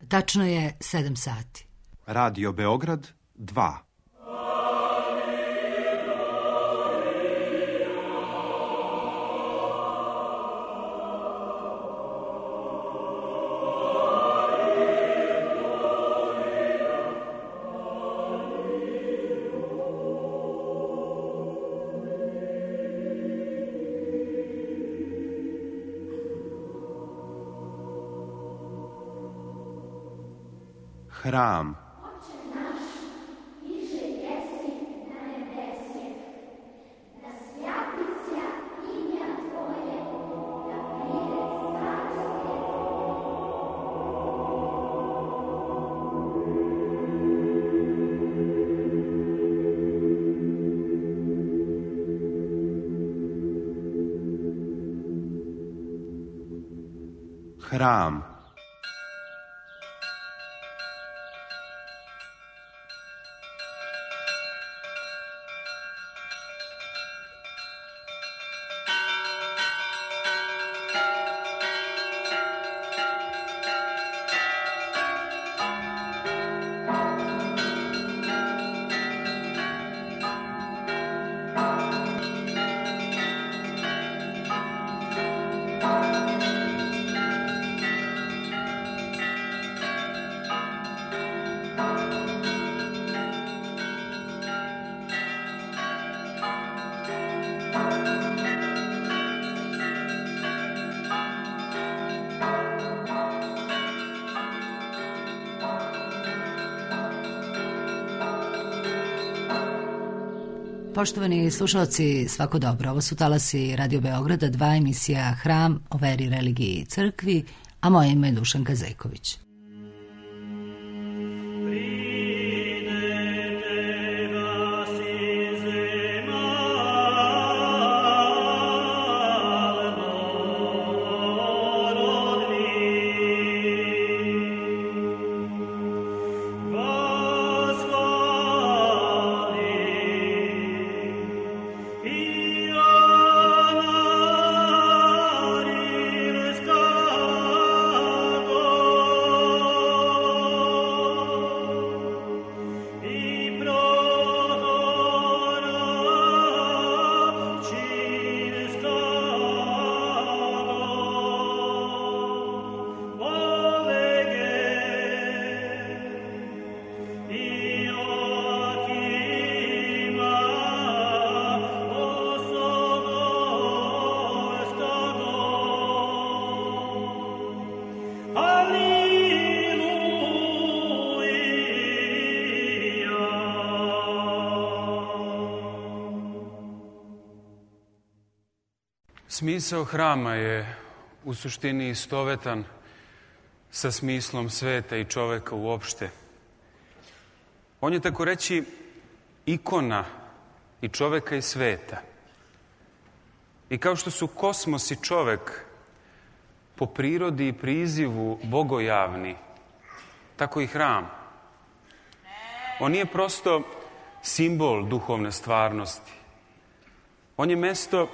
Tačno je 7 sati. Radio Beograd 2. Hram. Hram. Poštovani slušalci, svako dobro. Ovo su talasi Radio Beograda 2, emisija Hram o veri, religiji i crkvi, a moje ime je Dušanka Zejković. Smisao hrama je u suštini istovetan sa smislom sveta i čoveka uopšte. On je, tako reći, ikona i čoveka i sveta. I kao što su kosmos i čovek po prirodi i prizivu bogojavni, tako i hram. On nije prosto simbol duhovne stvarnosti. On je mesto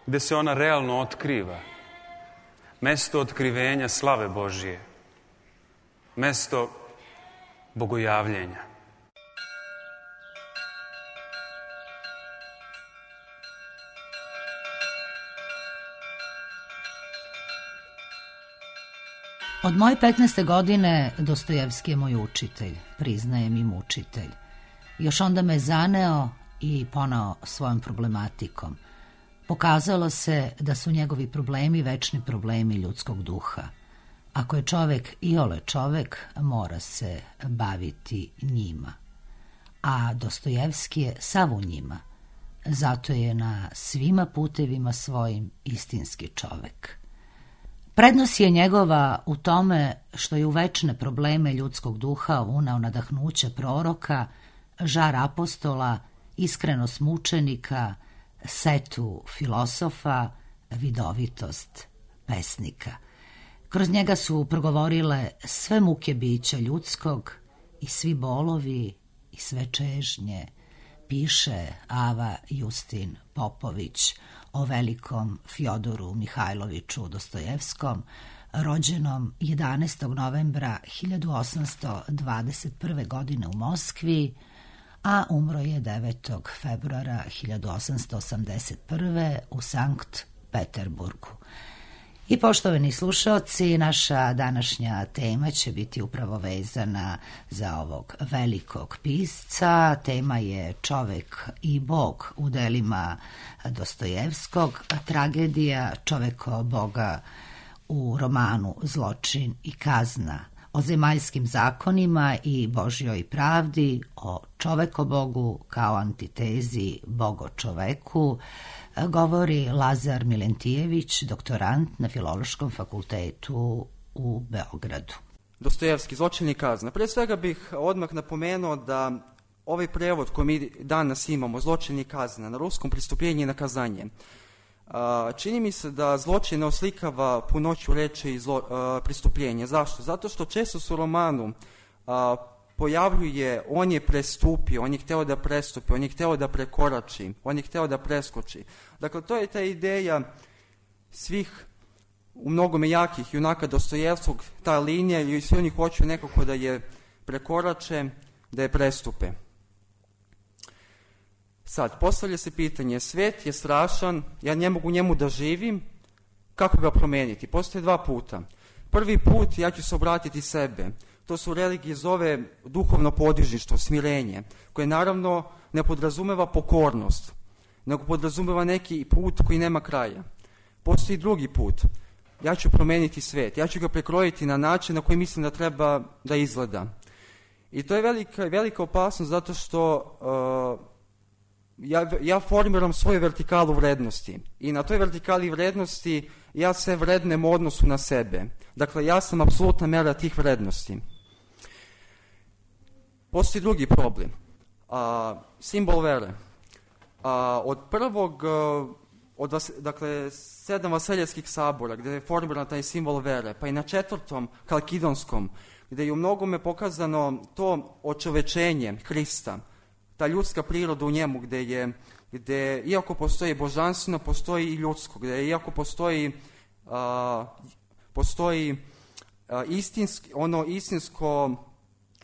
gde se ona realno otkriva. Mesto otkrivenja slave Božije. Mesto bogojavljenja. Od moje 15. godine Dostojevski je moj učitelj, priznajem i mučitelj. Još onda me zaneo i poneo svojom problematikom. Pokazalo se da su njegovi problemi večni problemi ljudskog duha. Ako je čovek iole čovek, mora se baviti njima. A Dostojevski je sav u njima. Zato je na svima putevima svojim istinski čovek. Prednost je njegova u tome što je u večne probleme ljudskog duha uneo nadahnuće proroka, žar apostola, iskrenost mučenika, setu filosofa, vidovitost pesnika. Kroz njega su progovorile sve muke bića ljudskog i svi bolovi i sve čežnje, piše Ava Justin Popović o velikom Fjodoru Mihajloviću Dostojevskom, rođenom 11. novembra 1821. godine u Moskvi, a umro je 9. februara 1881. u Sankt Peterburgu. I poštovani slušaoci, naša današnja tema će biti upravo vezana za ovog velikog pisca. Tema je Čovek i Bog u delima Dostojevskog, tragedija Čoveko Boga u romanu Zločin i kazna, o zemaljskim zakonima i Božjoj pravdi, o čovekobogu kao antitezi bogo-čoveku, govori Lazar Milentijević, doktorant na Filološkom fakultetu u Beogradu. Dostojevski, Zločin i kazna. Pre svega bih odmah napomenuo da ovaj prevod koji mi danas imamo, Zločin i kazna, na ruskom Pristupljenje i nakazanje, čini mi se da zločin ne oslikava punoću reči i pristupljenje. Zašto? Zato što često se u romanu pojavljuje on je prestupio, on je hteo da prestupi, on je hteo da prekorači, on je hteo da preskoči. Dakle, to je ta ideja svih u mnogome jakih junaka Dostojevskog, ta linija, i svi oni hoću nekako da je prekorače, da je prestupe. Sad, postavlja se pitanje, svet je strašan, ja ne mogu njemu da živim, kako ga promeniti? Postoje dva puta. Prvi put, ja ću se obratiti sebe. To su religije zove duhovno podižništvo, smirenje, koje naravno ne podrazumeva pokornost, nego podrazumeva neki put koji nema kraja. Postoji drugi put. Ja ću promeniti svet, ja ću ga prekrojiti na način na koji mislim da treba da izgleda. I to je velika opasnost zato što ja formiram svoju vertikalu vrednosti i na toj vertikali vrednosti ja sve vrednem u odnosu na sebe. Dakle, ja sam apsolutna mera tih vrednosti. Postoji drugi problem. Simbol vere. Od prvog, dakle, 7 vaseljevskih sabora, gde je formiran taj simbol vere, pa i na 4. Kalkidonskom, gde je u mnogome pokazano to očovečenje Hrista, ta ljudska priroda u njemu, gde iako postoji božanstveno, postoji i ljudsko, gde iako postoji istinsko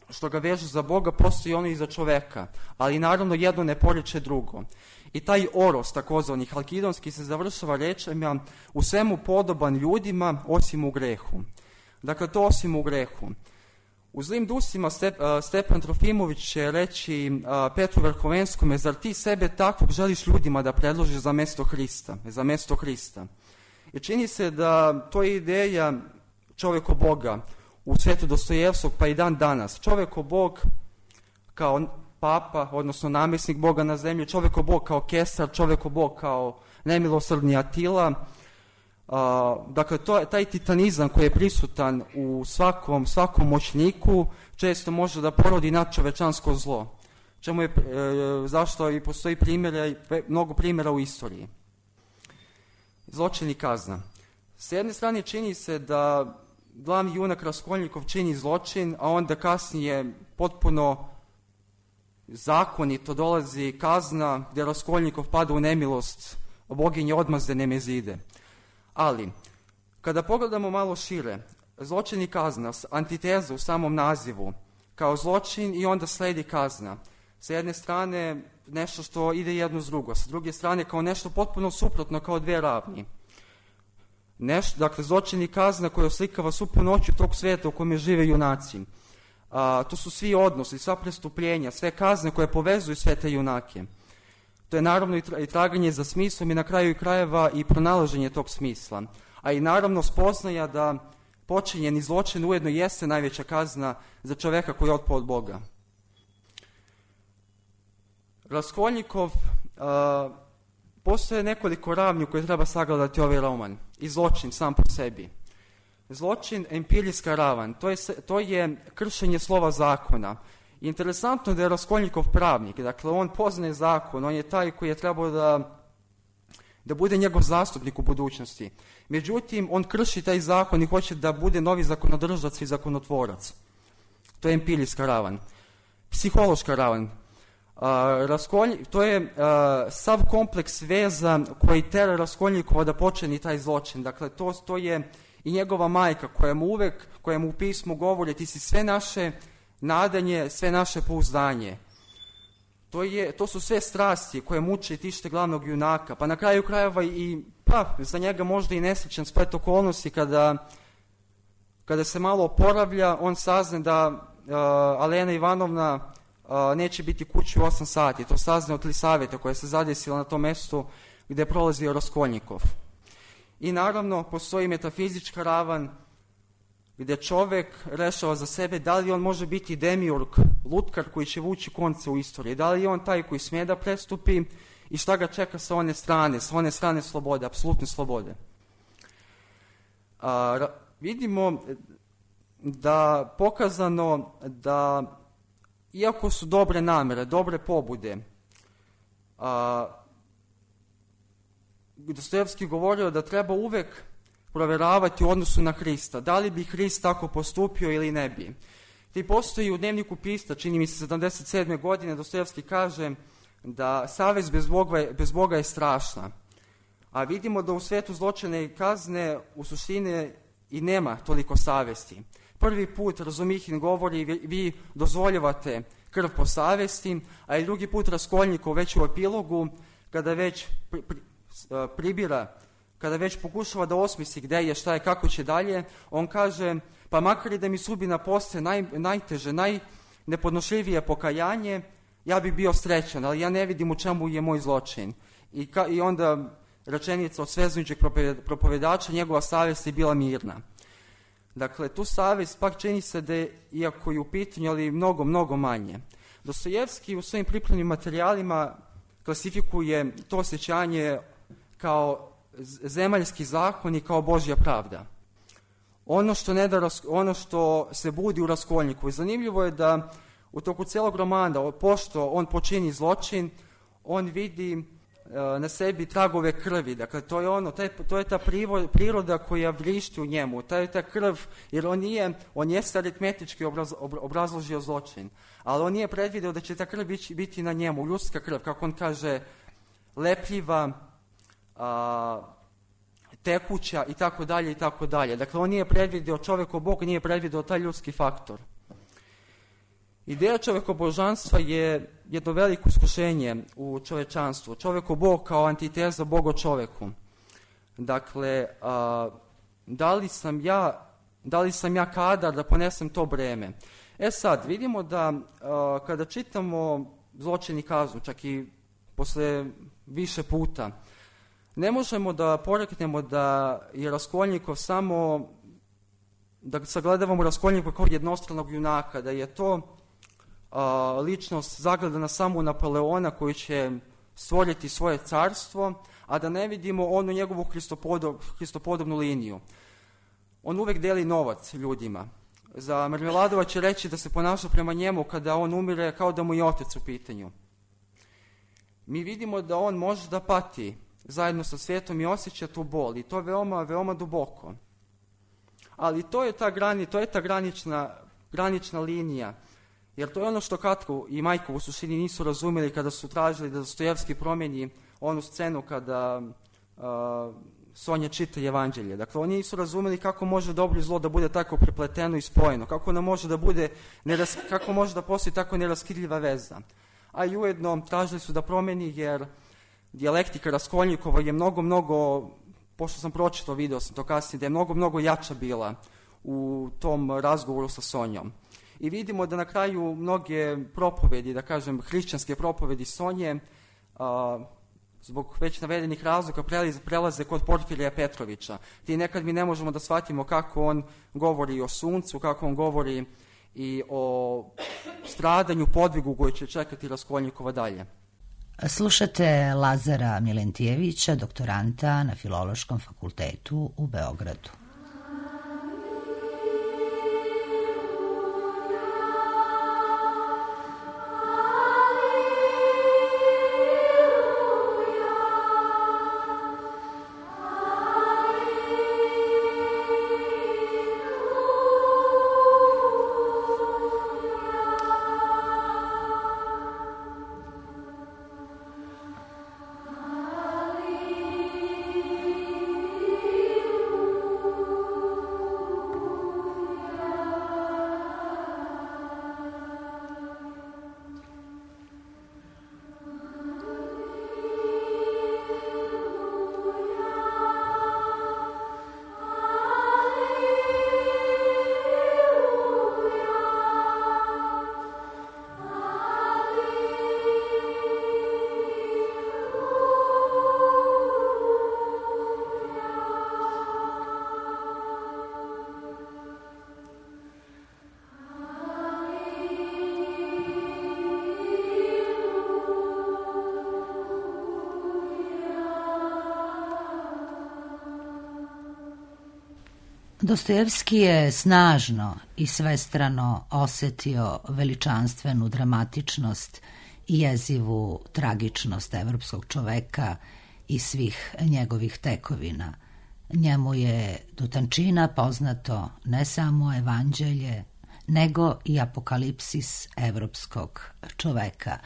što ga veže za Boga, postoji ono i za čoveka, ali naravno jedno ne poriče drugo. I taj oros, takozvani halkidonski, se završava rečima u svemu podoban ljudima, osim u grehu. Dakle, to osim u grehu. U Zlim dusima Stepan Trofimović će reći Petru Verhovenskome, zar ti sebe takvog želiš ljudima da predložiš za mesto Hrista? I čini se da to je ideja čoveko Boga u svetu Dostojevskog, pa i dan danas. Čoveko Bog kao papa, odnosno namjesnik Boga na zemlji, čoveko Bog kao kesar, čoveko Bog kao nemilosrdni Atila. Dakle, taj titanizam koji je prisutan u svakom moćniku često može da porodi nadčovečansko zlo. Zašto i postoji mnogo primjera u istoriji. Zločin i kazna. S jedne strane čini se da glavni junak Raskolnikov čini zločin, a onda kasnije potpuno zakonito dolazi kazna gdje Raskolnikov pada u nemilost boginje odmazde Nemezide. Ali, kada pogledamo malo šire, zločin i kazna, antiteza u samom nazivu, kao zločin i onda sledi kazna. Sa jedne strane nešto što ide jedno s drugo, sa druge strane kao nešto potpuno suprotno, kao dve ravni. Dakle, zločin i kazna koja oslikava svu punoću tog sveta u kome žive junaci. To su svi odnosi, sva prestupljenja, sve kazne koje povezuju sve te junake. To je naravno i traganje za smislom i na kraju krajeva i pronalaženje tog smisla. A i naravno spoznaja da počinjeni zločin ujedno jeste najveća kazna za čoveka koji je otpao od Boga. Raskolnikov, postoje nekoliko ravni u koje treba sagledati ovaj roman. I zločin sam po sebi. Zločin, empirijska ravan, to je kršenje slova zakona. Interesantno je da je Raskolnikov pravnik, dakle on poznaje zakon, on je taj koji je trebao da bude njegov zastupnik u budućnosti. Međutim, on krši taj zakon i hoće da bude novi zakonodržac i zakonotvorac. To je empirijska ravan. Psihološka ravan. To je sav kompleks veza koji tera Raskolnikova da počini taj zločin. Dakle, to je i njegova majka koja mu u pismu govori ti si sve naše nadanje, sve naše pouzdanje. To su sve strasti koje muče i tište glavnog junaka, pa na kraju krajeva i za njega možda i nesrećan splet okolnosti kada se malo oporavlja, on sazna da Alena Ivanovna neće biti kući u 8 sati. To sazna od Lisaveta koja se zadesila na tom mestu gde je prolazio Raskolnikov. I naravno postoji metafizička ravan gde čovek rešava za sebe da li on može biti demiurg, lutkar koji će vući konce u istoriji, da li je on taj koji smije da prestupi i šta ga čeka sa one strane slobode, apsolutne slobode. Vidimo da pokazano da iako su dobre namere, dobre pobude, Dostojevski govorio da treba uvek proveravati u odnosu na Hrista, da li bi Hrist tako postupio ili ne bi. Ti postoji u dnevniku Pista, čini mi se 77. godine, Dostojevski kaže da savest bez Boga je strašna, a vidimo da u svetu zločina i kazne u suštini i nema toliko savesti. Prvi put Razumihin govori vi dozvoljavate krv po savesti, a i drugi put Raskolnikov već u epilogu kada već pribira, kada već pokušava da osmisli gde je, šta je, kako će dalje, on kaže pa makar i da mi sudbina postaje najteže, najnepodnošljivije pokajanje, ja bih bio srećan, ali ja ne vidim u čemu je moj zločin. I onda rečenica od svezujućeg propovedača, njegova savest je bila mirna. Dakle, tu savest pak čini se da je, iako je u pitanju, ali mnogo, mnogo manje. Dostojevski u svojim pripremnim materijalima klasifikuje to osjećanje kao zemaljski zakon i kao Božja pravda. Ono što se budi u Raskolniku. I zanimljivo je da u toku celog romana, pošto on počini zločin, on vidi na sebi tragove krvi. Dakle, to je ta priroda koja vrišti u njemu. To je ta krv, jer on jeste aritmetički obrazložio zločin, ali on nije predvideo da će ta krv biti na njemu, ljudska krv, kako on kaže, lepljiva, tekuća i tako dalje i tako dalje. Dakle, on nije predvideo, čovjeko-Bog nije predvideo taj ljudski faktor. Ideja čovjekobožanstva je jedno veliko iskušenje u čovečanstvu. Čovjeko-Bog kao antiteza Bogo-čoveku. Dakle, da li sam ja kadar da ponesem to breme? Sad, vidimo da kada čitamo Zločin i kaznu, čak i posle više puta, ne možemo da poreknemo da je Raskolnikov samo, da sagledavamo Raskolnikova kao jednostranog junaka, da je to ličnost zagledana samo u Napoleona koji će stvoriti svoje carstvo, a da ne vidimo onu njegovu hristopodobnu liniju. On uvek deli novac ljudima. Za Marmeladova će reći da se ponaša prema njemu kada on umire kao da mu je otac u pitanju. Mi vidimo da on može da pati zajedno sa svetom i osjeća tu bol i to veoma, veoma duboko. Ali to je ta granična linija, jer to je ono što Katko i Majko u suštini nisu razumeli kada su tražili da Dostojevski promeni onu scenu kada Sonja čita Evanđelje. Dakle, oni nisu razumeli kako može dobro i zlo da bude tako prepleteno i spojeno, kako može da postoji tako neraskidljiva veza. A i ujedno tražili su da promeni jer dijalektika Raskolnikova je mnogo, pošto sam pročitao, video sam to kasnije, da je mnogo jača bila u tom razgovoru sa Sonjom. I vidimo da na kraju mnoge propovedi, da kažem hrišćanske propovedi Sonje, zbog već navedenih razloga prelaze kod Porfirija Petrovića. Ti nekad mi ne možemo da shvatimo kako on govori o suncu, kako on govori i o stradanju, podvigu koji će čekati Raskolnikova dalje. Slušate Lazara Milentijevića, doktoranta na Filološkom fakultetu u Beogradu. Dostojevski je snažno i svestrano osetio veličanstvenu dramatičnost i jezivu tragičnost evropskog čoveka i svih njegovih tekovina. Njemu je do tančina poznato ne samo evanđelje, nego i apokalipsis evropskog čoveka.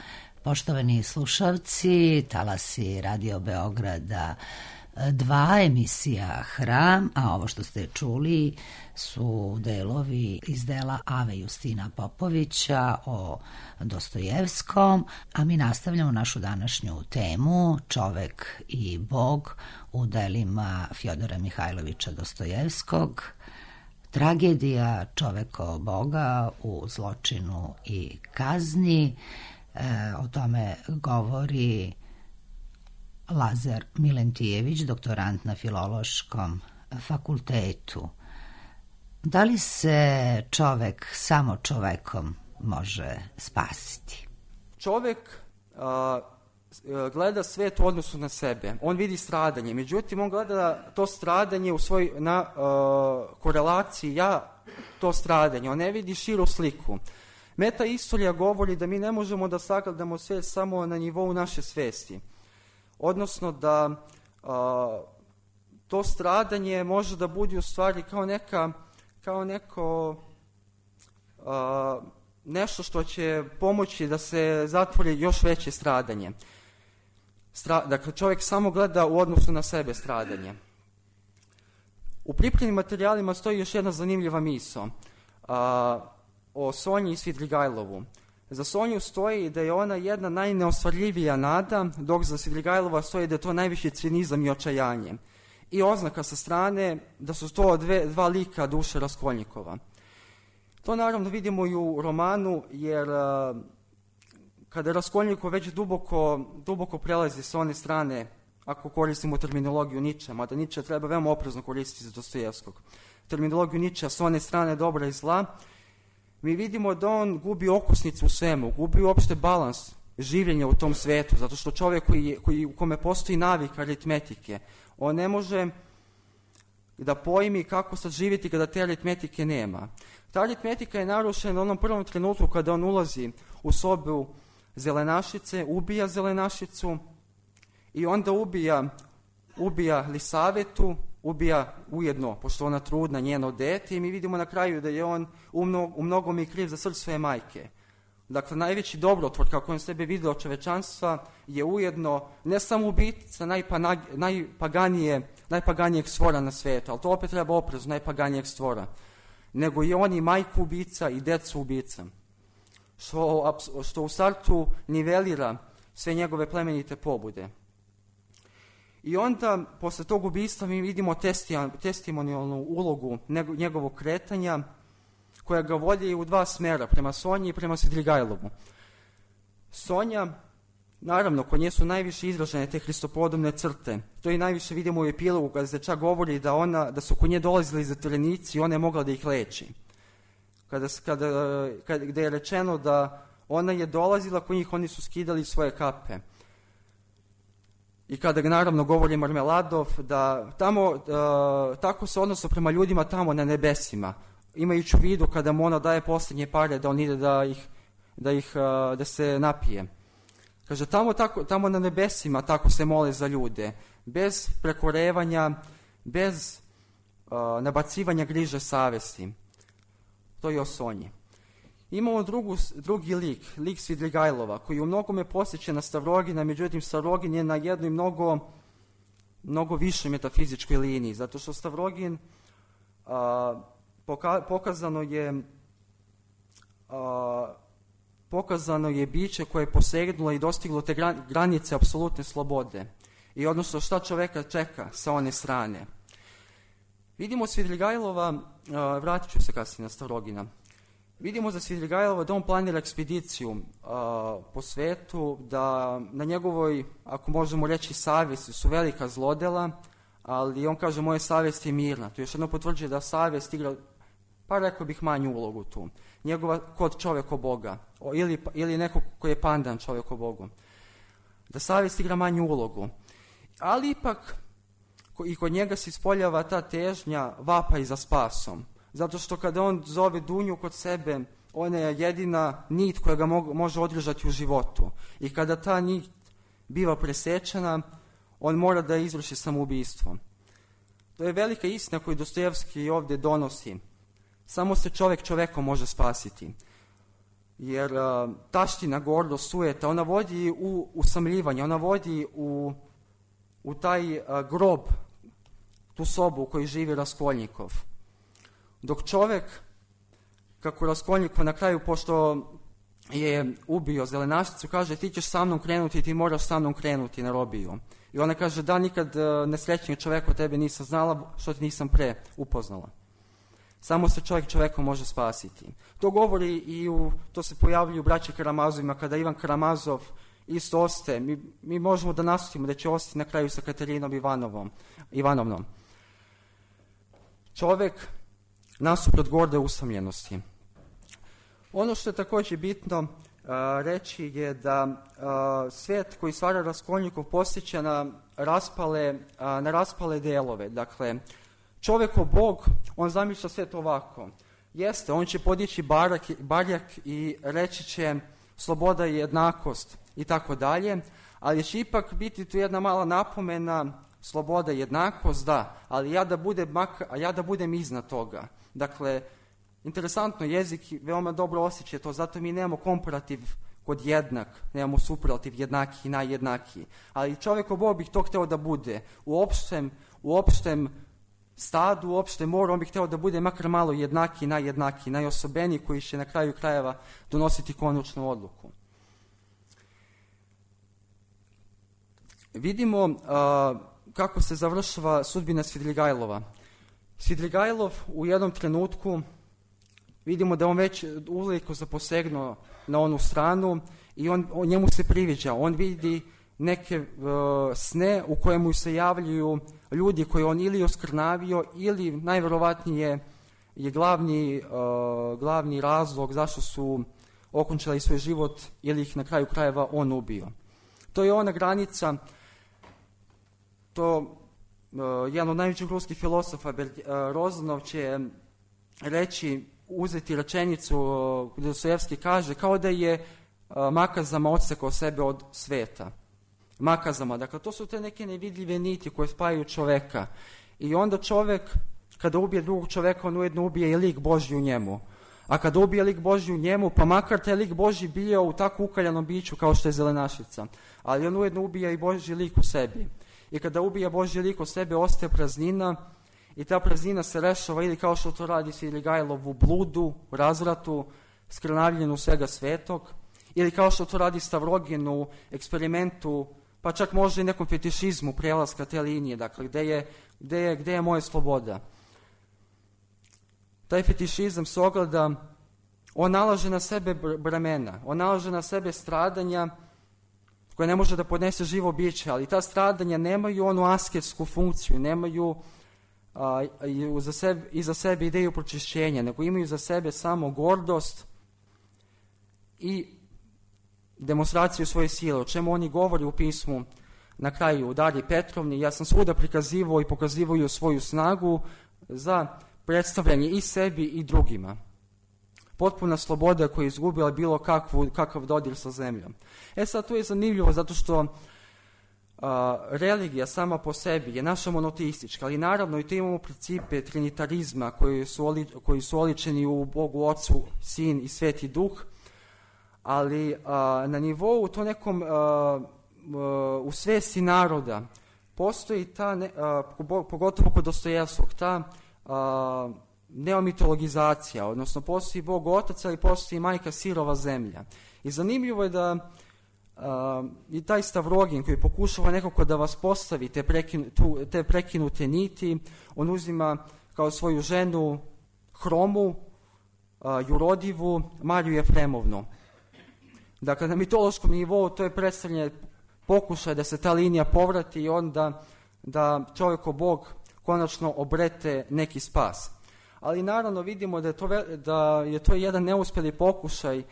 Poštovani slušalci, talasi Radio Beograda 2, emisija Hram, a ovo što ste čuli su delovi iz dela Ave Justina Popovića o Dostojevskom, a mi nastavljamo našu današnju temu Čovek i Bog u delima Fjodora Mihajlovića Dostojevskog. Tragedija čoveko Boga u zločinu i kazni. O tome govori Lazar Milentijević, doktorant na Filološkom fakultetu. Da li se čovek samo čovekom može spasiti? Čovek gleda svet u odnosu na sebe. On vidi stradanje, međutim on gleda to stradanje na korelaciji to stradanje. On ne vidi širu sliku. Meta istorija govori da mi ne možemo da sagledamo svet samo na nivou naše svesti. Odnosno da to stradanje može da bude u stvari kao neko nešto što će pomoći da se zatvori još veće stradanje. Dakle, čovjek samo gleda u odnosu na sebe stradanje. U pripremnim materijalima stoji još jedna zanimljiva misao o Sonji i Svidrigajlovu. Za Sonju stoji da je ona jedna najneostvarljivija nada, dok za Svidrigajlova stoji da je to najviši cinizam i očajanje. I oznaka sa strane da su to dva lika duše Raskolnikova. To naravno vidimo i u romanu, jer kada Raskolnikov već duboko prelazi s one strane, ako koristimo terminologiju Niča, mada Niča treba veoma oprezno koristiti za Dostojevskog, terminologiju Niča s one strane dobra i zla, mi vidimo da on gubi okosnicu u svemu, gubi uopšte balans življenja u tom svetu, zato što čovjek u kome postoji navik aritmetike, on ne može da pojmi kako sad živjeti kada te aritmetike nema. Ta aritmetika je narušena u onom prvom trenutku kada on ulazi u sobu zelenašice, ubija zelenašicu i onda ubija Lisavetu, ubija ujedno, pošto ona trudna, njeno dete, i mi vidimo na kraju da je on u mnogome i kriv za smrt svoje majke. Dakle, najveći dobrotvor, kako on sebe vidio od čovečanstva, je ujedno ne samo ubica najpaganijeg stvora na svijetu, ali to opet treba oprezno, najpaganijeg stvora, nego i on i majku ubica i decu ubica, što u startu nivelira sve njegove plemenite pobude. I onda, posle tog ubistva, mi vidimo testimonijalnu ulogu njegovog kretanja, koja ga vodi u dva smera, prema Sonji i prema Svidrigajlovu. Sonja, naravno, kod nje su najviše izražene te hristopodobne crte. To i najviše vidimo u epilogu, kada se čak govori da su kod nje dolazili zatvorenici i ona je mogla da ih leči. Gde je rečeno da ona je dolazila kod njih, oni su skidali svoje kape. I kada naravno govori Marmeladov, da tako se odnosno prema ljudima tamo na nebesima, imajući u vidu kada mu ona daje posljednje pare da on ide da se napije. Kaže, tamo na nebesima tako se mole za ljude, bez prekorevanja, bez nabacivanja griže savesti. To je o Sonji. Imamo drugi lik Svidrigajlova, koji u mnogome posjeća na Stavrogina, međutim Stavrogin je na jednoj mnogo višoj metafizičkoj liniji, zato što Stavrogin pokazano je biće koje je posegnulo i dostiglo te granice apsolutne slobode. I odnosno šta čoveka čeka sa one strane. Vidimo Svidrigajlova, vratit ću se kasnije na Stavrogina, vidimo za Svidrigajlova da on planira ekspediciju po svetu, da na njegovoj, ako možemo reći, savjesti su velika zlodela, ali on kaže, moja savjest je mirna. To još jedno potvrđuje da savjest igra, pa rekao bih, manju ulogu tu. Njegova kod čovjeko Boga, ili neko koji je pandan čovjeko Bogu. Da savjest igra manju ulogu. Ali ipak, i kod njega se ispoljava ta težnja vapaj za spasom. Zato što kada on zove Dunju kod sebe, ona je jedina nit koja ga može održati u životu. I kada ta nit biva presečena, on mora da izvrši samoubistvo. To je velika istina koju Dostojevski ovdje donosi. Samo se čovjek čovekom može spasiti. Jer taština, gordost, sujeta, ona vodi u usamljivanje, ona vodi u taj grob, tu sobu u kojoj živi Raskolnikov. Dok čovjek, kako Raskolnikov na kraju, pošto je ubio zelenašicu, kaže ti ćeš sa mnom krenuti, ti moraš sa mnom krenuti na robiju. I ona kaže da nikad nesrećnijeg čovjeka od tebe nisam znala, što ti nisam pre upoznala. Samo se čovjek čovekom može spasiti. To govori to se pojavljuje u braći Karamazovima, kada Ivan Karamazov isto ostaje. Mi možemo da naslutimo da će ostati na kraju sa Katerinom Ivanovnom. Čovjek nasuprot gorde usamljenosti. Ono što je također bitno reći je da svijet koji stvara Raskolnikov podsjeća na raspale delove. Dakle, čovjekov Bog, on zamišlja svijet ovako. Jeste, on će podići barjak i reći će sloboda i jednakost i tako dalje, ali će ipak biti tu jedna mala napomena, sloboda i jednakost, da, ali ja da budem iznad toga. Dakle, interesantno, jezik veoma dobro osjeća to, zato mi nemamo komparativ kod jednak, nemamo superlativ jednaki i najjednakiji. Ali čovjekov Bog bi to hteo da bude. U opštem stadu, u opštem moru, on bi hteo da bude makar malo jednaki, najjednaki, najosobeniji, koji će na kraju krajeva donositi konačnu odluku. Vidimo kako se završava sudbina Svidrigajlova. Svidrigajlov u jednom trenutku vidimo da on već uveliko zaposegnuo na onu stranu i njemu se priviđa. On vidi neke sne u kojemu se javljaju ljudi koje on ili oskrnavio ili najverovatnije je glavni razlog zašto su okončali svoj život ili ih na kraju krajeva on ubio. To je ona granica, jedan od najvećih ruskih filosofa, Rozanov, će reći, uzeti rečenicu gdje Dostojevski kaže, kao da je makazama odsekao sebe od sveta. Makazama, dakle to su te neke nevidljive niti koje spajaju čoveka. I onda čovek, kada ubije drugog čoveka, on ujedno ubije i lik Božji u njemu. A kada ubije lik Božji u njemu, pa makar taj lik Božji bio u tako ukaljanom biću kao što je zelenašica, ali on ujedno ubija i Božji lik u sebi. I kada ubija Božji lik u sebi, ostaje praznina i ta praznina se rešava ili kao što to radi Svidrigajlov u bludu, razvratu, skrnavljenju svega svetog, ili kao što to radi Stavrogin u eksperimentu, pa čak možda i nekom fetišizmu prelaska te linije, dakle, gde je moja sloboda. Taj fetišizam se ogleda, on nalaže na sebe bremena, on nalaže na sebe stradanja koje ne može da podnese živo biće, ali ta stradanja nemaju onu asketsku funkciju, nemaju iza sebe ideju pročišćenja, nego imaju za sebe samo gordost i demonstraciju svoje sile, o čemu oni govori u pismu na kraju u Dariji Petrovni. Ja sam svuda prikazivao i pokazivao svoju snagu za predstavljanje i sebi i drugima. Potpuna sloboda koja je izgubila bilo kakav dodir sa zemljom. Sad, to je zanimljivo zato što religija sama po sebi je naša monoteistička, ali naravno i to imamo principe trinitarizma koji su oličeni u Bogu Ocu, Sin i Sveti Duh, ali na nivou to nekom u svesti naroda postoji ta, pogotovo kod Dostojevskog, ta neomitologizacija, odnosno postoji Bog Otac, ali postoji majka sirova zemlja. I zanimljivo je da i taj Stavrogin koji pokušava nekako da vas postavi te prekinute niti, on uzima kao svoju ženu Hromu, Jurodivu, Mariju Jefremovnu. Dakle, na mitološkom nivou to je predstavljanje pokušaj da se ta linija povrati i onda da čovjeko Bog konačno obrete neki spas. Ali naravno vidimo da je to jedan neuspjeli pokušaj,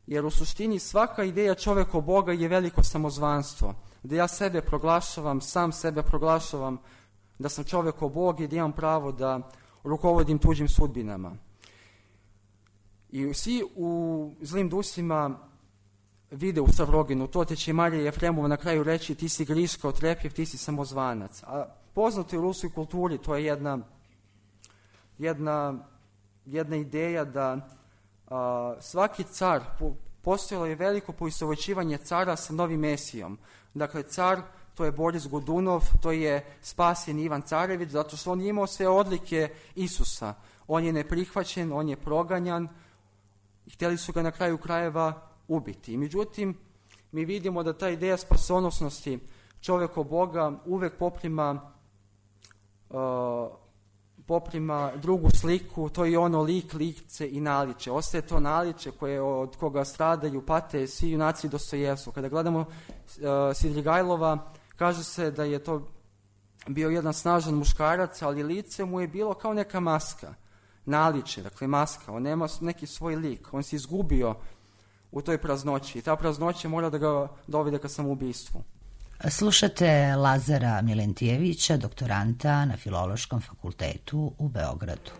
jer u suštini svaka ideja čovjeko Boga je veliko samozvanstvo, gdje ja sebe proglašavam, sam sebe proglašavam da sam čovjekov Bog i da imam pravo da rukovodim tuđim sudbinama. I svi u zlim dusima vide u Stavroginu, to te će Marija Jefremova na kraju reći, ti si Griška Otrepjev, ti si samozvanac. A poznato je u ruskoj kulturi, to je jedna ideja da svaki car, postojalo je veliko poistovjećivanje cara sa novim Mesijom. Dakle, car, to je Boris Godunov, to je spasen Ivan Carević, zato što on je imao sve odlike Isusa. On je neprihvaćen, on je proganjan i htjeli su ga na kraju krajeva ubiti. I međutim, mi vidimo da ta ideja spasonosnosti čovjekov Boga uvek poprima drugu sliku, to je ono lik, lice i naličje. Ostaje to naličje koje od koga stradaju, pate svi junaci Dostojevskog. Kada gledamo Svidrigajlova, kaže se da je to bio jedan snažan muškarac, ali lice mu je bilo kao neka maska, naličje, dakle maska. On nema neki svoj lik, on se izgubio u toj praznoći i ta praznoća mora da ga dovede ka samoubistvu. Slušate Lazara Milentijevića, doktoranta na Filološkom fakultetu u Beogradu.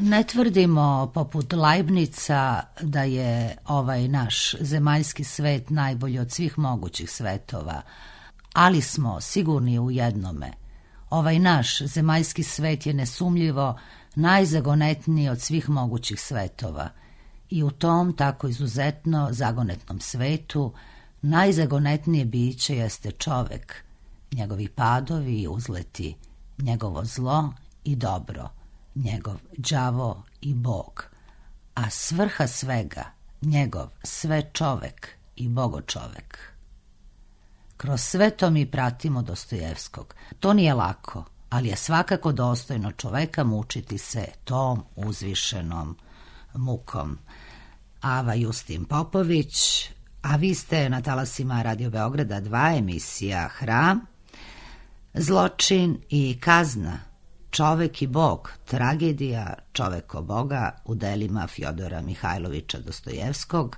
Ne tvrdimo poput Leibnica da je ovaj naš zemaljski svet najbolji od svih mogućih svetova, ali smo sigurni u jednome. Ovaj naš zemaljski svet je nesumljivo najzagonetniji od svih mogućih svetova i u tom tako izuzetno zagonetnom svetu najzagonetnije biće jeste čovek, njegovi padovi i uzleti, njegovo zlo i dobro, njegov đavo i Bog, a svrha svega, njegov sve čovek i bogočovek. Kroz sve to mi pratimo Dostojevskog. To nije lako, ali je svakako dostojno čoveka mučiti se tom uzvišenom mukom. Ava Justin Popović, a vi ste na talasima Radio Beograda 2, emisija Hram, Zločin i kazna, Čovek i Bog, tragedija čoveko Boga u delima Fjodora Mihajlovića Dostojevskog,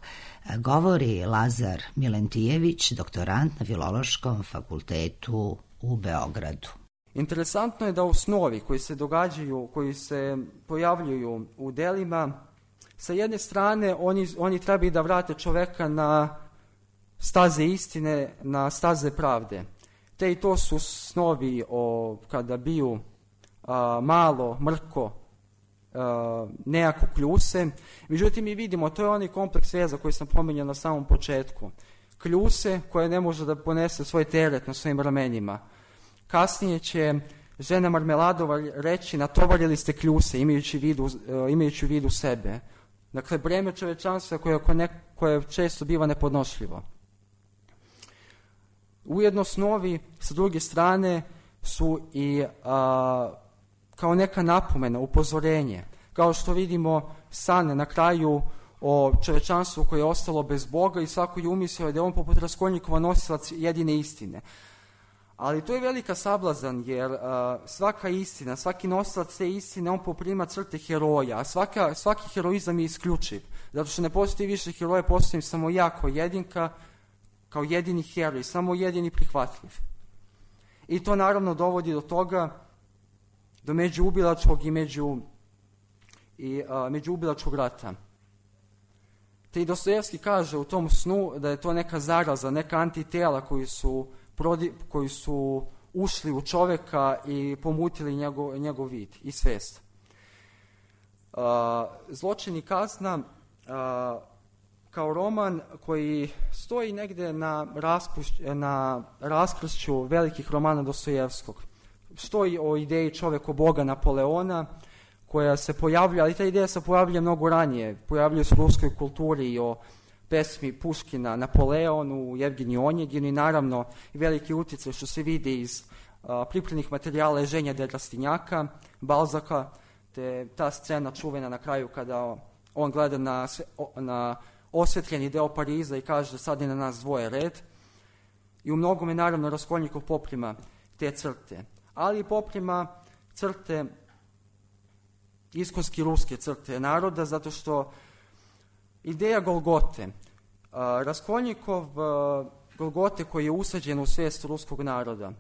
govori Lazar Milentijević, doktorant na Filološkom fakultetu u Beogradu. Interesantno je da u snovi koji se događaju, koji se pojavljuju u delima, sa jedne strane oni trebaju da vrate čoveka na staze istine, na staze pravde. Te i to su snovi kada biju malo, mrko, nejako kljuse. Međutim, mi vidimo, to je onaj kompleks veza koji sam pominjao na samom početku. Kljuse koje ne može da ponese svoj teret na svojim ramenima. Kasnije će žena Marmeladova reći, natovarili ste kljuse, imajući u vidu sebe. Dakle, breme čovečanstva koje često biva nepodnošljivo. Ujedno snovi, sa druge strane, su i kao neka napomena, upozorenje. Kao što vidimo san na kraju o čovečanstvu koje je ostalo bez Boga i svako je umislio da je on poput Raskolnikova nosilac jedine istine. Ali to je velika sablazan, jer svaka istina, svaki nosilac te istine, on poprima crte heroja, a svaki heroizam je isključiv. Zato što ne postoji više heroja, postoji samo ja kao jedinka, kao jedini heroj, samo jedini prihvatljiv. I to naravno dovodi do toga, do međuubilačkog i međuubilačkog rata. Te i Dostojevski kaže u tom snu da je to neka zaraza, neka antitela koji su ušli u čoveka i pomutili njegov vid i svest. Zločin i kazna kao roman koji stoji negde na raskršću velikih romana Dostojevskog. Stoji o ideji čoveko Boga Napoleona, koja se pojavlja, ali ta ideja se pojavlja mnogo ranije. Pojavljuje se u ruskoj kulturi i o pesmi Puškina Napoleonu, Jevgeniju Onjeginu i naravno veliki utjecaj što se vidi iz pripremnih materijala Eženja de Rastinjaka, Balzaka, te ta scena čuvena na kraju kada on gleda na osvetljeni deo Pariza i kaže sad je na nas dvoje red. I u mnogome naravno Raskolnikov poprima te crte, ali poprima crte, iskonski ruske crte naroda, zato što ideja Golgote, Raskolnikov Golgote koji je usađen u svijest ruskog naroda,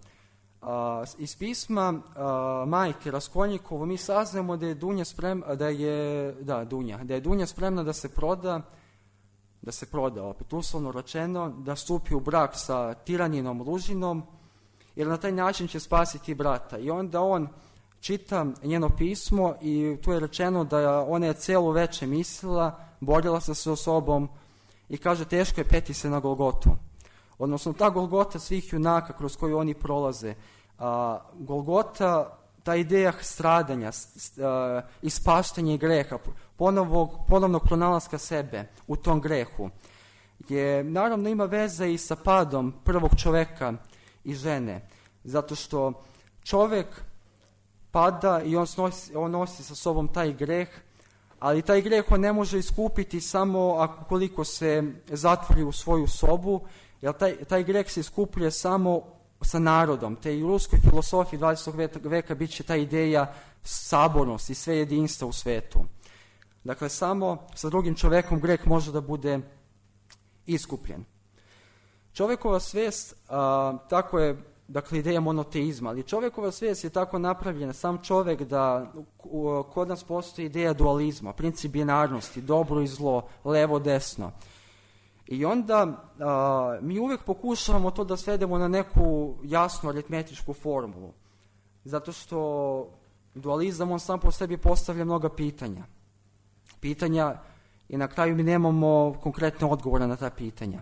iz pisma majke Raskolnikovo mi saznamo da je Dunja spremna da se proda, opet uslovno rečeno, da stupi u brak sa tiraninom Lužinom, jer na taj način će spasiti brata. I onda on čita njeno pismo i tu je rečeno da ona je celo veče mislila, borila se sa sobom i kaže teško je peti se na Golgotu. Odnosno ta Golgota svih junaka kroz koju oni prolaze. Golgota, ta ideja stradanja, ispaštanja greha, ponovnog pronalaska sebe u tom grehu, je naravno ima veze i sa padom prvog čoveka i žene. Zato što čovek pada i on nosi sa sobom taj greh, ali taj greh on ne može iskupiti samo ukoliko se zatvori u svoju sobu, jer taj greh se iskupljuje samo sa narodom. Te i u ruskoj filosofiji 20. veka bit će ta ideja sabornosti i sve jedinstva u svetu. Dakle, samo sa drugim čovekom greh može da bude iskupljen. Čovekova svijest, tako je, dakle, ideja monoteizma, ali čovekova svijest je tako napravljena, sam čovek, da kod nas postoji ideja dualizma, princip binarnosti, dobro i zlo, levo, desno. I onda mi uvijek pokušavamo to da svedemo na neku jasnu aritmetičku formulu. Zato što dualizam, on sam po sebi postavlja mnoga pitanja. I na kraju mi nemamo konkretne odgovore na ta pitanja.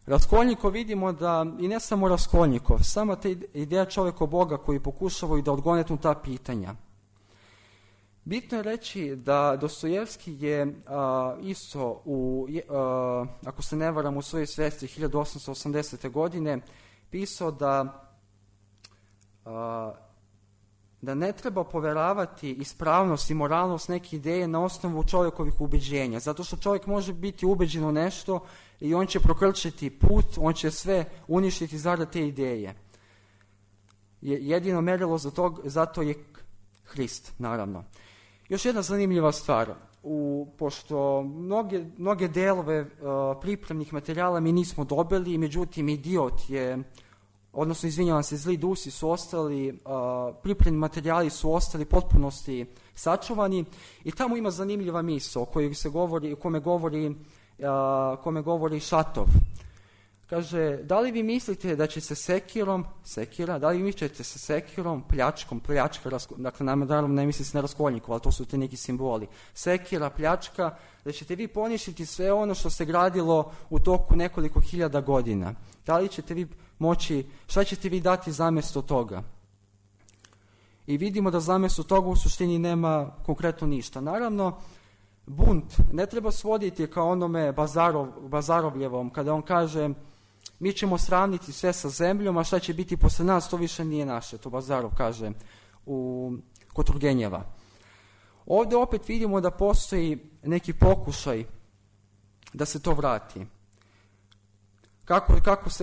Raskolnikov vidimo da, i ne samo Raskolnikov, sama ta ideja čoveka Boga koji pokušavaju da odgonetnu ta pitanja. Bitno je reći da Dostojevski je isto, ako se ne varam, u svojoj svesti 1880. godine pisao da ne treba poveravati ispravnost i moralnost neke ideje na osnovu čovjekovih ubeđenja, zato što čovjek može biti ubeđen u nešto i on će prokrčiti put, on će sve uništiti zarad te ideje. Jedino merilo za to je Hrist, naravno. Još jedna zanimljiva stvar, pošto mnoge delove pripremnih materijala mi nismo dobili, međutim Idiot je, odnosno izvinjavam se, Zli dusi su ostali, pripremni materijali su ostali potpunosti sačuvani i tamo ima zanimljiva misao kome govori Šatov. Kaže, da li vi mislite da će se sekirom, pljačkom, dakle naravno ne misli se na Raskolnikov, ali to su te neki simboli, sekira, pljačka, da ćete vi poništiti sve ono što se gradilo u toku nekoliko hiljada godina. Da li ćete vi moći, šta ćete vi dati zamjesto toga? I vidimo da zamjesto toga u suštini nema konkretno ništa. Naravno, bunt ne treba svoditi kao onome Bazarovljevom, kada on kaže mi ćemo sravniti sve sa zemljom, a šta će biti posle nas, to više nije naše. To Bazarov kaže kod Turgenjeva. Ovdje opet vidimo da postoji neki pokušaj da se to vrati.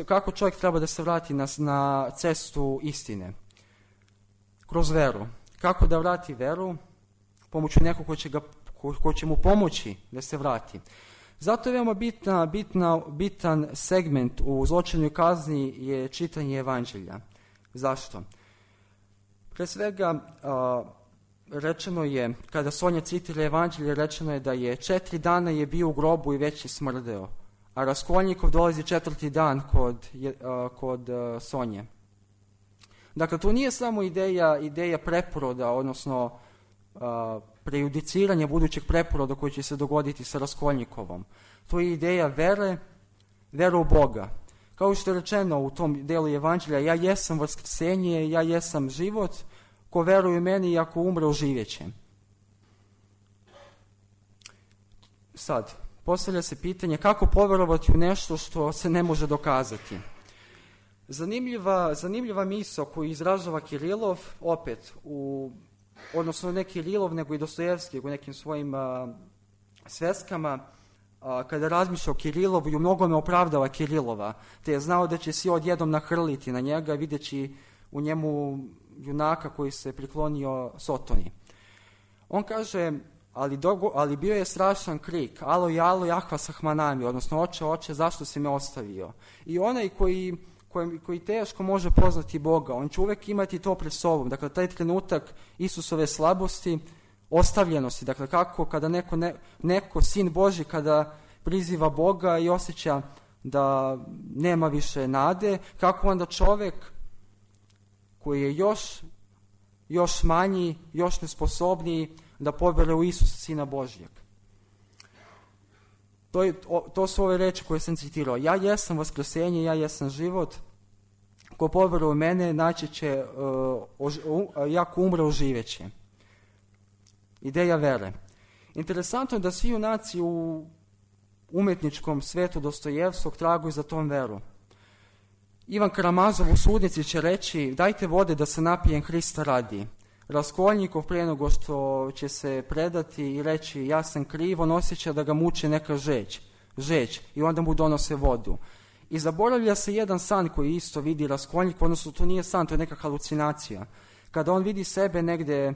Kako čovjek treba da se vrati na cestu istine? Kroz veru. Kako da vrati veru? Pomoću nekog ko će mu pomoći da se vrati. Zato je veoma bitan segment u Zločinu i kazni je čitanje evanđelja. Zašto? Pre svega, rečeno je, kada Sonja citira evanđelje, rečeno je da je 4 dana je bio u grobu i već je smrdeo, a Raskolnikov dolazi 4. dan kod Sonje. Dakle, to nije samo ideja preporoda, odnosno prejudiciranja budućeg preporoda koji će se dogoditi sa Raskolnikovom. To je ideja vere u Boga. Kao što je rečeno u tom delu evanđelja, ja jesam vaskrsenje, ja jesam život, ko veruje u meni i ako umre, oživjeće. Sad, postavlja se pitanje kako poverovati u nešto što se ne može dokazati. Zanimljiva misao koju izražava Kirilov, opet, odnosno ne Kirilov, nego i Dostojevski u nekim svojim sveskama, kada razmišlja o Kirilovu i u mnogome opravdava Kirilova, te je znao da će svi odjednom nahrliti na njega, videći u njemu junaka koji se priklonio Sotoni. On kaže, ali bio je strašan krik, alo jalo jahva sahmanami, odnosno oče, zašto si me ostavio? I onaj koji teško može poznati Boga, on će uvek imati to pred sobom. Dakle, taj trenutak Isusove slabosti, ostavljenosti, dakle, kako kada neko sin Božji, kada priziva Boga i osjeća da nema više nade, kako onda čovek koji je još manji, još nesposobniji da poveruje u Isusa, Sina Božjeg. To su ove reči koje sam citirao. Ja jesam vaskrsenje, ja jesam život. Ko poveruje u mene, naći će, jako umre, oživjeće. Ideja vere. Interesantno je da svi junaci u umetničkom svetu Dostojevskog traguju za tom veru. Ivan Karamazov u Sudnici će reći, dajte vode da se napijem Hrista radi. Raskolnikov prije nego što će se predati i reći ja sam kriv, on osjeća da ga muči neka žeć i onda mu donose vodu. I zaboravlja se jedan san koji isto vidi Raskolnikov, odnosno to nije san, to je neka halucinacija. Kada on vidi sebe negde,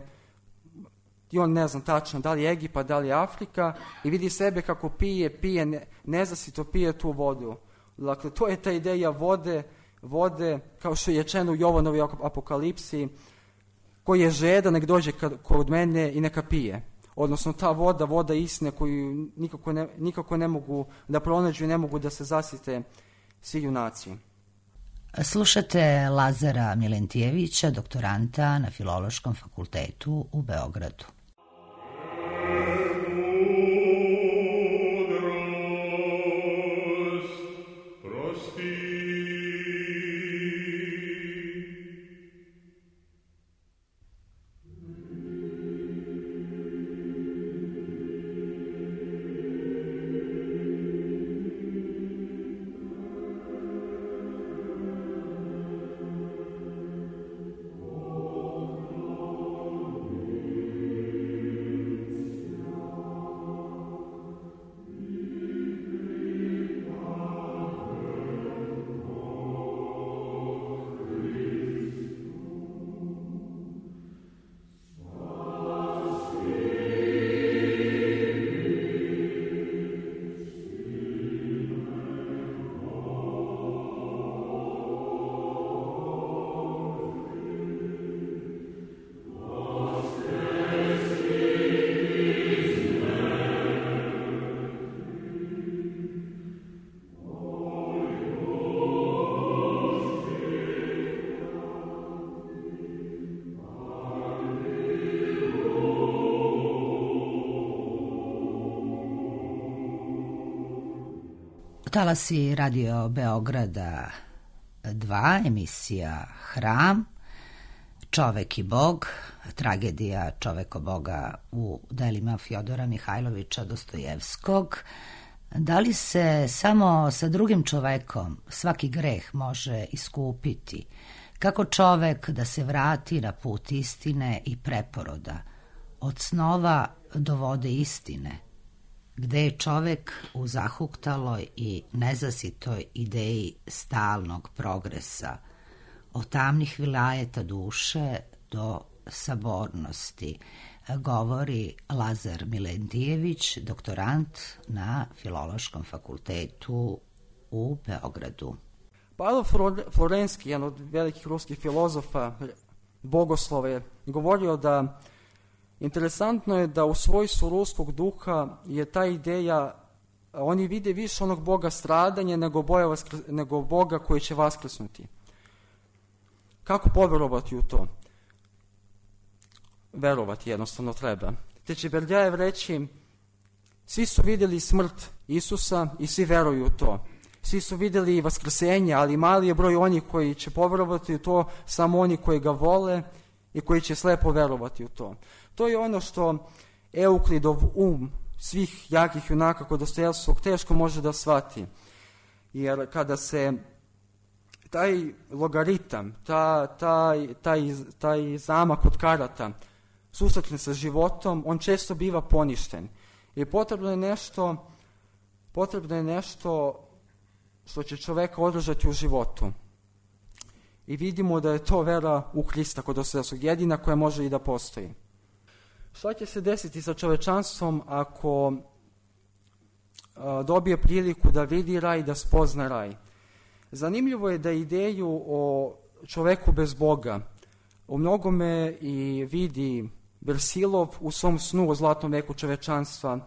i on ne znam tačno da li je Egipat, da li je Afrika, i vidi sebe kako pije, nezasito pije tu vodu. Dakle, to je ta ideja vode, kao što je rečeno u Jovanovoj apokalipsi, koji je žedan, nek dođe kod mene i neka pije. Odnosno ta voda istine koju nikako ne mogu da pronađu i ne mogu da se zasite svi junaci. Slušate Lazara Milentijevića, doktoranta na Filološkom fakultetu u Beogradu. Talasi Radio Beograda 2, emisija Hram, Čovek i Bog, tragedija Čoveko Boga u delima Fjodora Mihajlovića Dostojevskog. Da li se samo sa drugim čovekom svaki greh može iskupiti? Kako čovek da se vrati na put istine i preporoda, od snova do vode istine? Gde je čovek u zahuktaloj i nezasitoj ideji stalnog progresa, od tamnih vilajeta duše do sabornosti, govori Lazar Milentijević, doktorant na Filološkom fakultetu u Beogradu. Pavlo Florenski, jedan od velikih ruskih filozofa, bogoslova, je govorio da interesantno je da u svojstvu ruskog duha je ta ideja, oni vide više onog Boga stradanja nego Boga koji će vaskrsnuti. Kako poverovati u to? Verovati jednostavno treba. Te će Berdjajev reći, svi su vidjeli smrt Isusa i svi veruju u to. Svi su vidjeli vaskrsenje, ali mali je broj onih koji će poverovati u to, samo oni koji ga vole i koji će slepo verovati u to. To je ono što Euklidov svih jakih junaka kod Dostojevskog teško može da shvati. Jer kada se taj logaritam, taj zamak od karata susretne sa životom, on često biva poništen. I potrebno je nešto što će čoveka održati u životu. I vidimo da je to vera u Hrista kod Dostojevskog, jedina koja može i da postoji. Šta će se desiti sa čovečanstvom ako dobije priliku da vidi raj i da spozna raj? Zanimljivo je da ideju o čoveku bez Boga u mnogome i vidi Versilov u svom snu o zlatnom veku čovečanstva,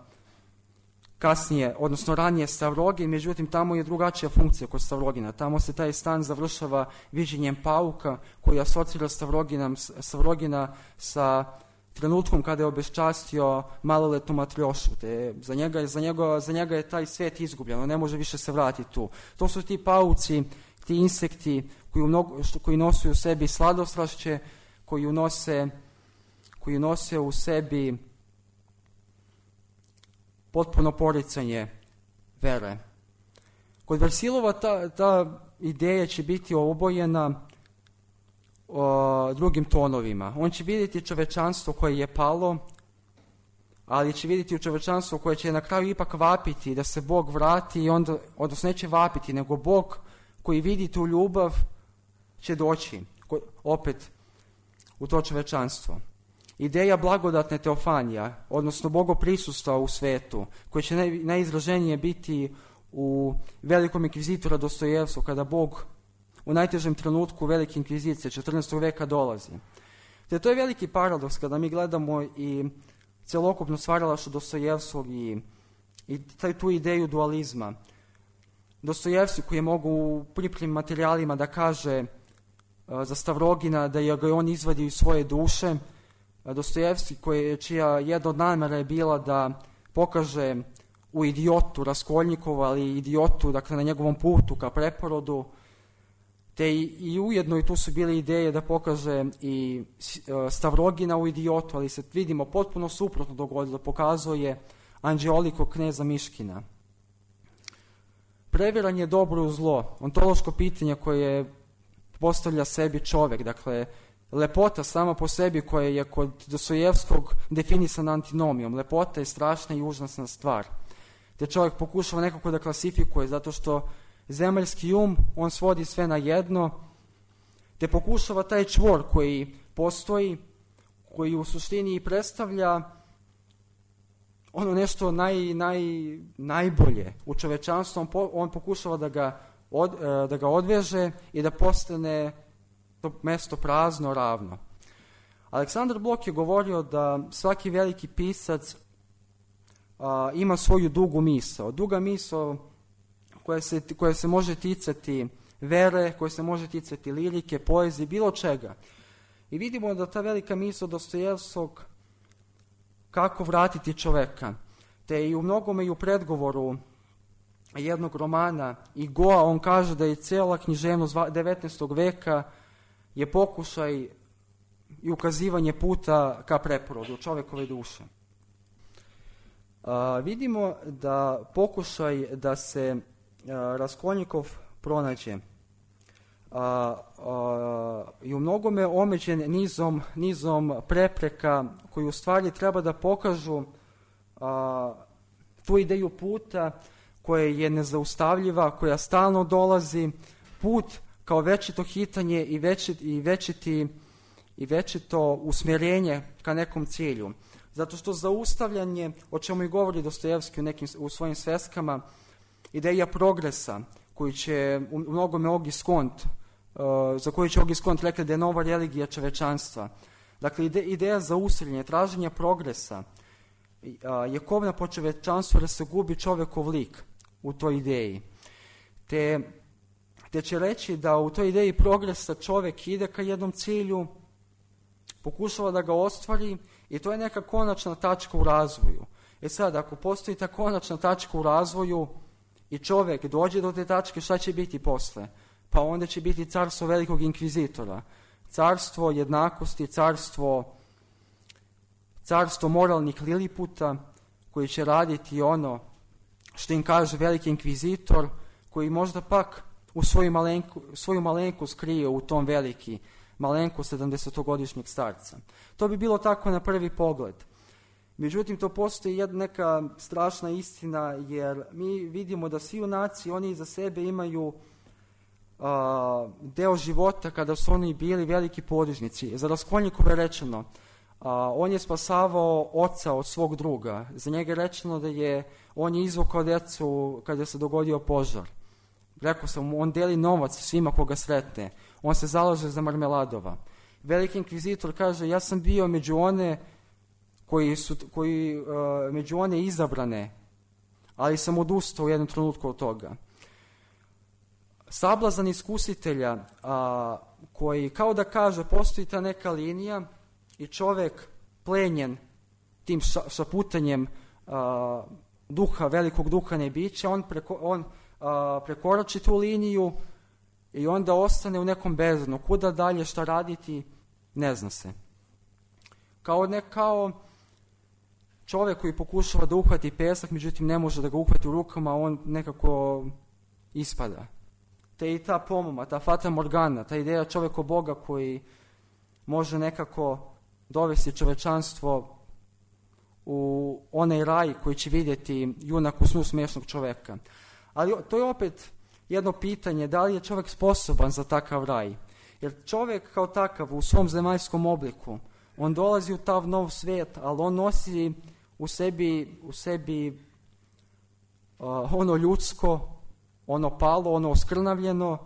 kasnije, odnosno ranije Stavrogin, međutim tamo je drugačija funkcija kod Stavrogina. Tamo se taj stan završava viđenjem pauka koji asocira Stavrogina sa trenutkom kada je obeščastio maloletnu Matrjošu. Za njega je taj svet izgubljen, on ne može više se vratiti tu. To su ti pauci, ti insekti koji nose u sebi sladostrašće, koji nose u sebi potpuno poricanje vere. Kod Versilova ta ideja će biti obojena drugim tonovima. On će vidjeti čovečanstvo koje je palo, ali će vidjeti u čovečanstvo koje će na kraju ipak vapiti da se Bog vrati i onda, odnosno neće vapiti, nego Bog koji vidi tu ljubav će doći opet u to čovečanstvo. Ideja blagodatne teofanija, odnosno bogoprisustva u svetu, koje će najizraženije biti u Velikom inkvizitora Dostojevskog, kada Bog u najtežem trenutku Velike inkvizicije 14. veka dolazi. Te to je veliki paradoks kada mi gledamo i celokupno stvaralaštvo Dostojevskog i tu ideju dualizma. Dostojevski koji je mogu u pripremnim materijalima da kaže za Stavrogina da ga on izvadio iz svoje duše, Dostojevski čija jedna od namera je bila da pokaže u idiotu Raskolnikova, ali idiotu, dakle na njegovom putu ka preporodu, te i ujedno i tu su bile ideje da pokaže i Stavrogina u idiotu, ali se vidimo potpuno suprotno dogodilo, pokazuje Anđeoliko kneza Miškina. Previranje je dobro u zlo, ontološko pitanje koje postavlja sebi čovek, dakle lepota sama po sebi koja je kod Dostojevskog definisana antinomijom. Lepota je strašna i užasna stvar. Te čovjek pokušava nekako da klasifikuje zato što zemaljski on svodi sve na jedno, te pokušava taj čvor koji postoji, koji u suštini predstavlja ono nešto najbolje u čovečanstvu, on pokušava da ga odveže i da postane to mesto prazno, ravno. Aleksandar Blok je govorio da svaki veliki pisac ima svoju dugu misao. Duga misao koja se može ticati vere, koja se može ticati lirike, poezije, bilo čega. I vidimo da ta velika misao Dostojevskog kako vratiti čoveka. Te i u mnogome i u predgovoru jednog romana Igoa on kaže da je cijela književnost 19. veka je pokušaj i ukazivanje puta ka preporodu čovekove duše. Vidimo da pokušaj da se Raskolnikov pronađe i u mnogome omeđen nizom prepreka koji u stvari treba da pokažu tu ideju puta koja je nezaustavljiva, koja stalno dolazi, put kao večito hitanje i i večito usmjerenje ka nekom cilju. Zato što zaustavljanje, o čemu i govori Dostojevski u svojim sveskama, ideja progresa, koji će u mnogome Ogis Kont, za koju će Ogis Kont rekli da je nova religija čovečanstva. Dakle, ideja zaustavljanja, traženja progresa je kovna po čovečanstvu da se gubi čovekov lik u toj ideji. Te će reći da u toj ideji progresa čovek ide ka jednom cilju, pokušava da ga ostvari i to je neka konačna tačka u razvoju. Sad, ako postoji ta konačna tačka u razvoju i čovek dođe do te tačke, šta će biti posle? Pa onda će biti carstvo velikog inkvizitora, carstvo jednakosti, carstvo moralnih liliputa, koji će raditi ono što im kaže veliki inkvizitor, koji možda pak u svoju malenku skrije u tom veliki malenku 70-godišnjeg starca. To bi bilo tako na prvi pogled. Međutim, to postoji neka strašna istina, jer mi vidimo da svi junaci, oni iza sebe imaju deo života kada su oni bili veliki podvižnici. Za Raskolnikova je rečeno, on je spasavao oca od svog druga. Za njega je rečeno da on je izvukao decu kada se dogodio požar. Rekao sam, on deli novac svima koga sretne. On se zalaže za Marmeladova. Veliki inkvizitor kaže, ja sam bio među među one izabrane, ali sam odustao u jednom trenutku od toga. Sablazan iskusitelja, koji kao da kaže, postoji ta neka linija i čovek plenjen tim šaputanjem duha, velikog duha nebića, on prekorači tu liniju i onda ostane u nekom bezdnu. Kuda dalje, šta raditi, ne zna se. Kao čovek koji pokušava da uhvati pesak, međutim ne može da ga uhvati u rukama, on nekako ispada. Te i ta pomoma, ta fata morgana, ta ideja čoveka Boga koji može nekako dovesti čovečanstvo u onaj raj koji će vidjeti junak u snu smiješnog čoveka. Ali to je opet jedno pitanje, da li je čovek sposoban za takav raj? Jer čovek kao takav u svom zemaljskom obliku, on dolazi u tav nov svijet, ali on nosi u sebi ono ljudsko, ono palo, ono oskrnavljeno,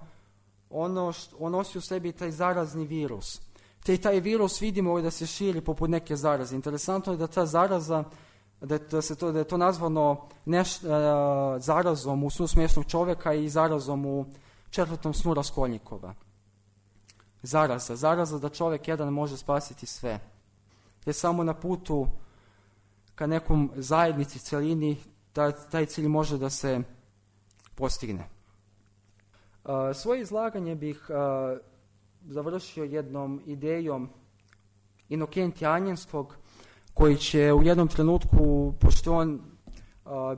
on nosi u sebi taj zarazni virus. Te i taj virus vidimo da se širi poput neke zaraze. Interesantno je da ta zaraza, da je to nazvano zarazom u snu smiješnog čoveka i zarazom u 4. snu Raskolnikova. Zaraza da čovek jedan može spasiti sve. Te samo na putu ka nekom zajednici, celini, taj cilj može da se postigne. Svoje izlaganje bih završio jednom idejom Inokentija Anjenskog, koji će u jednom trenutku, pošto on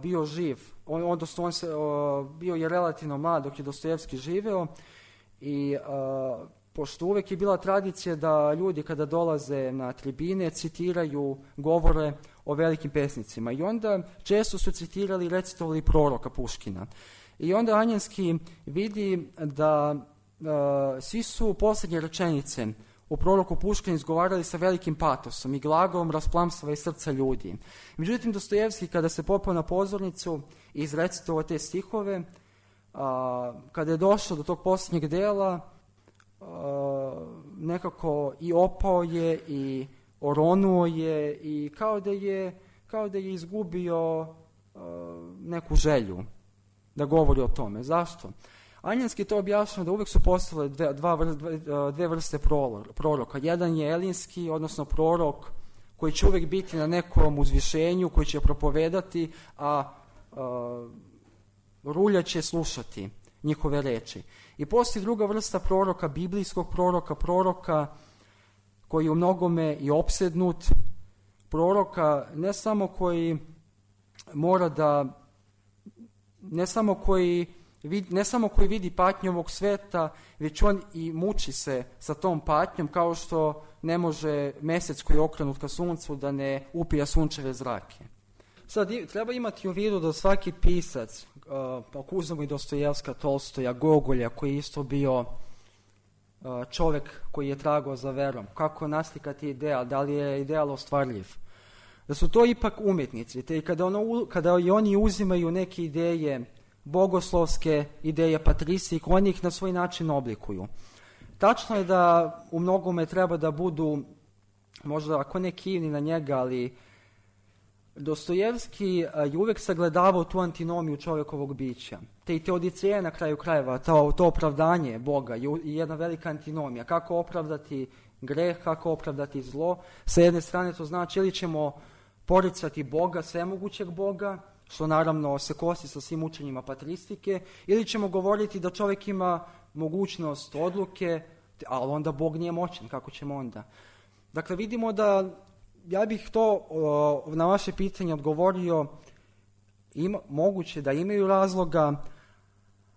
bio živ, odnosno bio je relativno mlad dok je Dostojevski živeo, i pošto uvek je bila tradicija da ljudi kada dolaze na tribine citiraju govore o velikim pesnicima, i onda često su citirali i recitovali proroka Puškina. I onda Anjenski vidi da svi su posljednje rečenice u proroku Puškina izgovarali sa velikim patosom i glagolom rasplamsava iz srca ljudi. Međutim, Dostojevski, kada se popao na pozornicu i izrecitovao te stihove, kada je došao do tog posljednjeg dela, nekako i opao je i oronuo je i kao da je izgubio neku želju da govori o tome. Zašto? Anjenski to objašnjava da uvek su postale dve vrste proroka. Jedan je elinski, odnosno prorok koji će uvek biti na nekom uzvišenju, koji će propovedati, a rulja će slušati njihove reči. I postoji druga vrsta proroka, biblijskog proroka koji je u mnogome i opsednut, proroka ne samo koji mora da, ne samo koji vidi patnju ovog sveta, već on i muči se sa tom patnjom, kao što ne može mesec koji je okrenut ka suncu da ne upija sunčeve zrake. Sad, treba imati u vidu da svaki pisac, ako uzmemo i Dostojevska, Tolstoja, Gogolja, koji je isto bio čovjek koji je tragao za verom, kako naslikati ideal, da li je ideal ostvarljiv. Da su to ipak umjetnici, te kada i oni uzimaju neke ideje bogoslovske, ideje patrisije, oni ih na svoj način oblikuju. Tačno je da u mnogome treba da budu, možda ako ne kivni na njega, ali Dostojevski je uvijek sagledavao tu antinomiju čovjekovog bića. Te i Teodiceja na kraju krajeva, to opravdanje Boga je jedna velika antinomija. Kako opravdati greh, kako opravdati zlo. Sa jedne strane to znači ili ćemo poricati Boga, svemogućeg Boga, što naravno se kosi sa svim učenjima patristike, ili ćemo govoriti da čovjek ima mogućnost odluke, ali onda Bog nije moćan, kako ćemo onda? Dakle, vidimo da, ja bih to na vaše pitanje odgovorio, moguće da imaju razloga,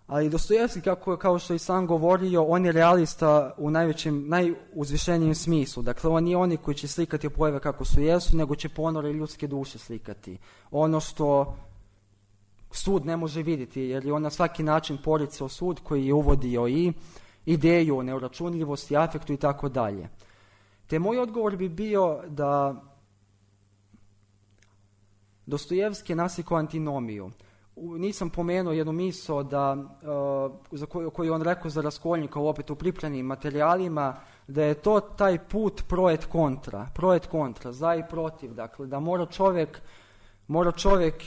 ali Dostojevski, kao što i sam govorio, on je realista u najuzvišenijem smislu. Dakle, on nije oni koji će slikati pojave kako su jesu, nego će ponore ljudske duše slikati. Ono što sud ne može vidjeti, jer je on na svaki način poricao sud koji je uvodio i ideju o neuračunljivosti, afektu i tako dalje. Te moj odgovor bi bio da Dostojevski je naslikao antinomiju. Nisam pomenuo jednu misao za koju on rekao za Raskolnika, opet u pripremljenim materijalima, da je to taj put pro et kontra, za i protiv. Dakle, da mora čovjek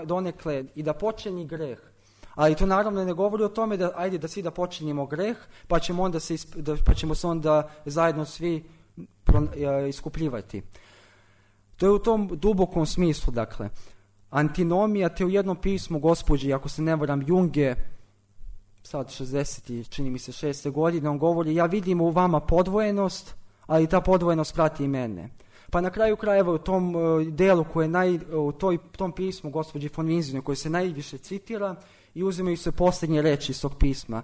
donekle i da počini greh. Ali to naravno ne govori o tome da ajde da svi da počinimo greh, pa ćemo se onda zajedno svi iskupljivati. To je u tom dubokom smislu, dakle. Antinomija, te u jednom pismu gospođi, ako se ne varam, Junge, sad 60, čini mi se 6. godine, on govori, ja vidim u vama podvojenost, ali ta podvojenost prati i mene. Pa na kraju krajeva u tom delu u tom pismu gospođi von Winzenu, koji se najviše citira, i uzimaju se posljednje reči iz tog pisma,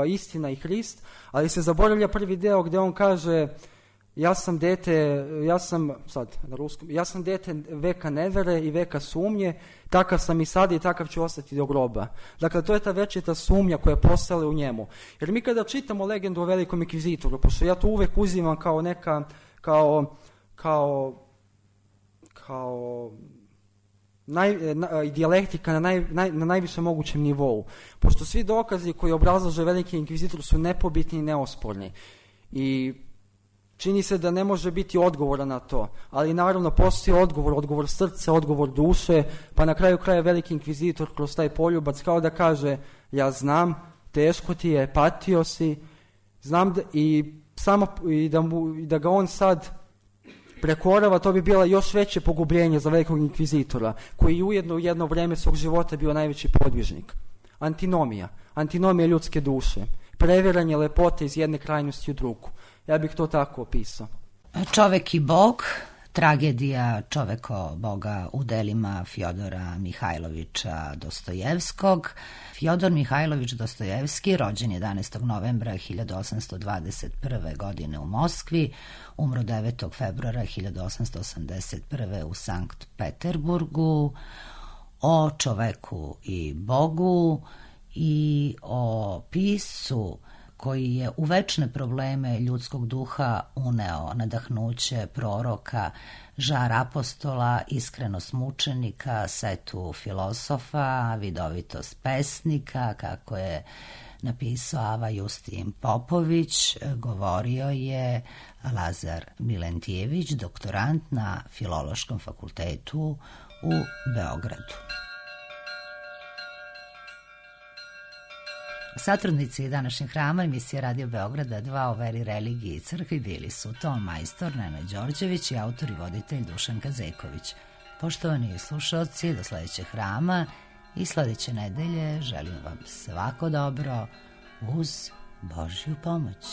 istina i Hrist, ali se zaboravlja prvi deo gdje on kaže, ja sam dete veka nevere i veka sumnje, takav sam i sad i takav ću ostati do groba. Dakle, to je ta večita sumnja koja je postala u njemu. Jer mi kada čitamo legendu o velikom inkvizitoru, pošto ja to uvek uzimam kao neka, dijalektika na najvišem mogućem nivou. Pošto svi dokazi koji obrazlaže veliki inkvizitor su nepobitni i neosporni. I čini se da ne može biti odgovora na to, ali naravno postoji odgovor srca, odgovor duše, pa na kraju kraja veliki inkvizitor kroz taj poljubac kao da kaže, ja znam, teško ti je, patio si, znam da ga on sad prekorava, to bi bila još veće pogubljenje za velikog inkvizitora, koji ujedno u jedno vreme svog života bio najveći podvižnik. Antinomija ljudske duše, previranje lepote iz jedne krajnosti u drugu. Ja bih to tako opisao. Čovek i Bog, tragedija čoveko Boga u delima Fjodora Mihajlovića Dostojevskog. Fjodor Mihajlović Dostojevski, rođen 11. novembra 1821. godine u Moskvi, umro 9. februara 1881. u Sankt Peterburgu. O čoveku i Bogu i o piscu koji je u večne probleme ljudskog duha uneo nadahnuće proroka, žar apostola, iskrenost mučenika, setu filosofa, vidovitost pesnika, kako je napisao Ava Justin Popović, govorio je Lazar Milentijević, doktorant na Filološkom fakultetu u Beogradu. Satrudnici današnjeg hrama emisije Radio Beograda 2 o veri, religiji i crkvi bili su Tom Majstor, Nenad Đorđević i autor i voditelj Dušan Kazeković. Poštovani slušalci, do sledećeg hrama i sledeće nedelje želim vam svako dobro uz Božju pomoć.